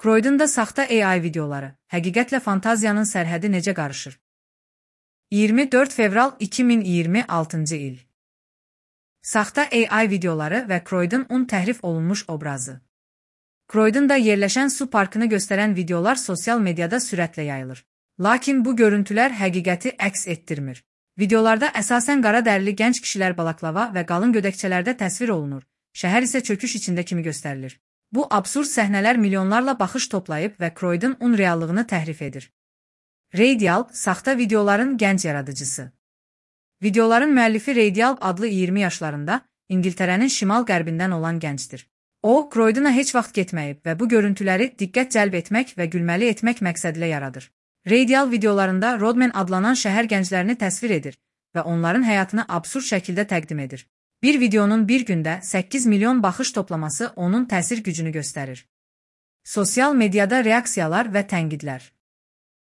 Croydonda saxta AI videoları, həqiqətlə fantaziyanın sərhədi necə qarışır? 24 fevral 2026-cı il. Saxta AI videoları və Croydonun təhrif olunmuş obrazı. Croydonda yerləşən su parkını göstərən videolar sosial mediada sürətlə yayılır. Lakin bu görüntülər həqiqəti əks etdirmir. Videolarda əsasən qara dərili gənc kişilər balaklava və qalın gödəkçələrdə təsvir olunur, şəhər isə çöküş içində kimi göstərilir. Bu absurd səhnələr milyonlarla baxış toplayıb və Croydonun reallığını təhrif edir. Radial, saxta videoların gənc yaradıcısı. Videoların müəllifi Radial adlı 20 yaşlarında, İngiltərənin şimal-qərbindən olan gəncdir. O, Croydona heç vaxt getməyib və bu görüntüləri diqqət cəlb etmək və gülməli etmək məqsədilə yaradır. Radial videolarında Rodman adlanan şəhər gənclərini təsvir edir və onların həyatını absurd şəkildə təqdim edir. Bir videonun bir gündə 8 milyon baxış toplaması onun təsir gücünü göstərir. Sosial mediada reaksiyalar və tənqidlər.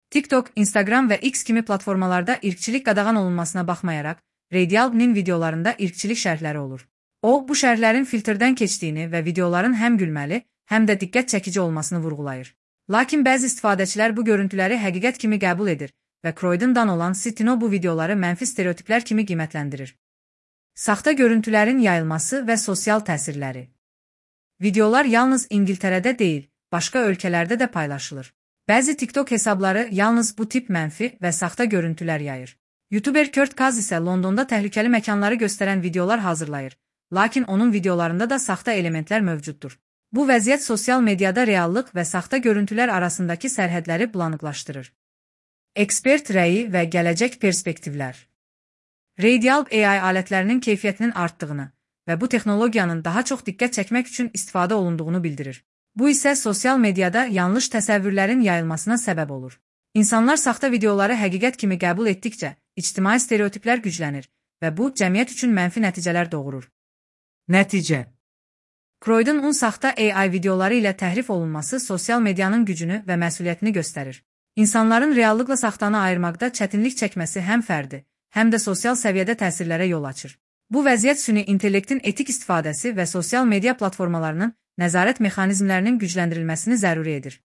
TikTok, Instagram və X kimi platformalarda irqçilik qadağan olunmasına baxmayaraq, Radial'nin videolarında irqçilik şərhləri olur. O, bu şərhlərin filtrdən keçdiyini və videoların həm gülməli, həm də diqqət çəkici olmasını vurğulayır. Lakin bəzi istifadəçilər bu görüntüləri həqiqət kimi qəbul edir və Croydondan olan Sitino bu videoları mənfi stereotiplər kimi qiymətləndirir. Saxta görüntülərin yayılması və sosial təsirləri. Videolar yalnız İngiltərədə deyil, başqa ölkələrdə də paylaşılır. Bəzi TikTok hesabları yalnız bu tip mənfi və saxta görüntülər yayır. YouTuber Kurt Kaz isə Londonda təhlükəli məkanları göstərən videolar hazırlayır, lakin onun videolarında da saxta elementlər mövcuddur. Bu vəziyyət sosial mediada reallıq və saxta görüntülər arasındakı sərhədləri bulanıqlaşdırır. Ekspert rəyi və gələcək perspektivlər. Radial AI alətlərinin keyfiyyətinin artdığını və bu texnologiyanın daha çox diqqət çəkmək üçün istifadə olunduğunu bildirir. Bu isə sosial mediada yanlış təsəvvürlərin yayılmasına səbəb olur. İnsanlar saxta videoları həqiqət kimi qəbul etdikcə, ictimai stereotiplər güclənir və bu, cəmiyyət üçün mənfi nəticələr doğurur. Nəticə. Croydonun saxta AI videoları ilə təhrif olunması sosial medianın gücünü və məsuliyyətini göstərir. İnsanların reallıqla saxtanı ayırmaqda çətinlik çəkməsi həm fərdi, həm də sosial səviyyədə təsirlərə yol açır. Bu vəziyyət süni intellektin etik istifadəsi və sosial media platformalarının nəzarət mexanizmlərinin gücləndirilməsini zəruri edir.